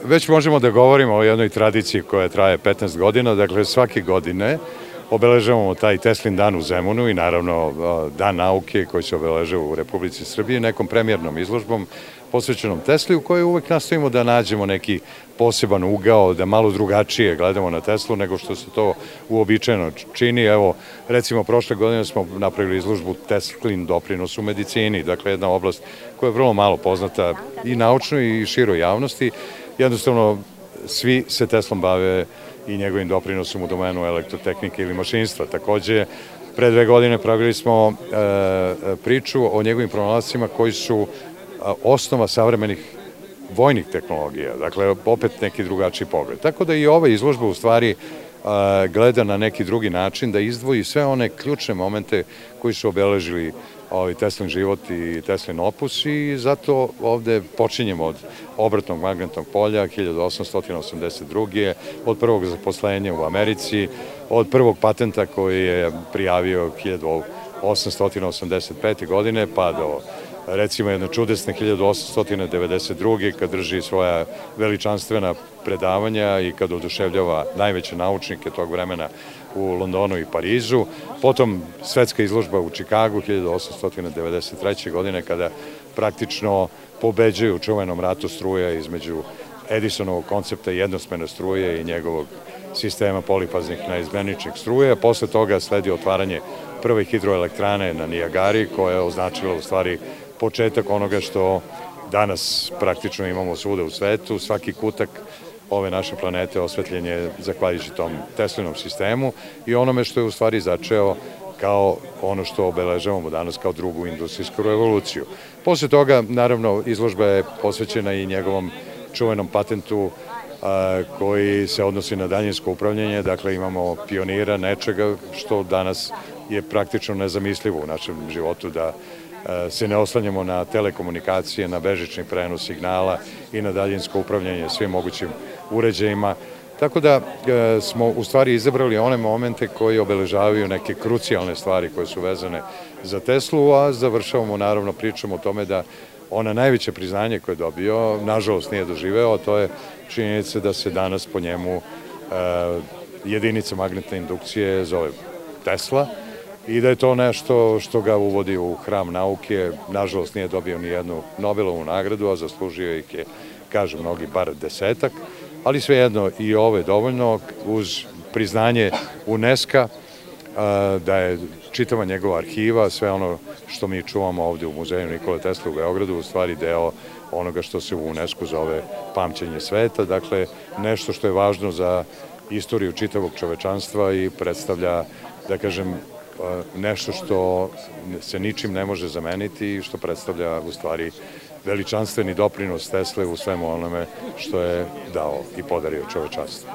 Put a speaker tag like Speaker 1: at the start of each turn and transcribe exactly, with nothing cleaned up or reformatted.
Speaker 1: već možemo da govorimo o jednoj tradiciji koja traje petnaest godina, dakle svake godine obeležavamo taj Teslin dan u Zemunu i naravno dan nauke koji se obeležava u Republici Srbiji nekom premijernom izložbom posvećenom Tesli u kojoj uvek nastojimo da nađemo neki poseban ugao, da malo drugačije gledamo na Teslu nego što se to uobičajeno čini. Evo, recimo, prošle godine smo napravili izložbu Teslin doprinos u medicini, dakle jedna oblast koja je vrlo malo poznata i naučnoj i široj javnosti. Jednostavno, svi se Teslom bave i njegovim doprinosom u domenu elektrotehnike ili mašinstva. Takođe, pre dve godine pravili smo e, priču o njegovim pronalascima koji su osnova savremenih vojnih tehnologija, dakle opet neki drugačiji pogled. Tako da i ova izložba u stvari gleda na neki drugi način da izdvoji sve one ključne momente koji su obeležili ovaj Teslin život i Teslin opus i zato ovde počinjemo od obratnog magnetnog polja hiljadu osamsto osamdeset druge. od prvog zaposlenja u Americi, od prvog patenta koji je prijavio hiljadu osamsto osamdeset pete. godine pa do recimo jedne čudesne hiljadu osamsto devedeset druge. kad drži svoja veličanstvena predavanja i kad oduševljava najveće naučnike tog vremena u Londonu i Parizu. Potom svetska izložba u Čikagu hiljadu osamsto devedeset treće. godine kada praktično pobeđuju u čuvenom ratu struja između Edisonovog koncepta jednosmerne struje i njegovog sistema polifaznih naizmeničnih struje. Posle toga sledi otvaranje prve hidroelektrane na Nijagari koja je označila u stvari početak onoga što danas praktično imamo svuda u svetu. Svaki kutak ove naše planete osvetljen je zahvaljujući tom Teslinom sistemu i onome što je u stvari začeo kao ono što obeležavamo danas kao drugu industrijsku revoluciju. Posle toga, naravno, izložba je posvećena i njegovom čuvenom patentu koji se odnosi na daljinsko upravljanje, dakle imamo pionira nečega što danas je praktično nezamislivo u našem životu da se ne oslanjamo na telekomunikacije, na bežični prenos signala i na daljinsko upravljanje svim mogućim uređajima. Tako da smo u stvari izabrali one momente koji obeležavaju neke krucijalne stvari koje su vezane za Teslu, a završavamo naravno pričom o tome da ona najveće priznanje koje je dobio, nažalost nije doživeo, a to je činjenica da se danas po njemu jedinica magnetne indukcije zove Tesla i da je to nešto što ga uvodi u hram nauke. Nažalost nije dobio ni jednu Nobelovu nagradu, a zaslužio ih je, kažu mnogi, bar desetak, ali svejedno i ovo je dovoljno uz priznanje UNESCO da je čitava njegova arhiva, sve ono što mi čuvamo ovde u muzeju Nikole Tesle u Beogradu, u stvari deo onoga što se u UNESCO zove pamćenje sveta, dakle nešto što je važno za istoriju čitavog čovečanstva i predstavlja, da kažem, nešto što se ničim ne može zameniti i što predstavlja u stvari veličanstveni doprinos Tesle u svemu onome što je dao i podario čovečanstvu.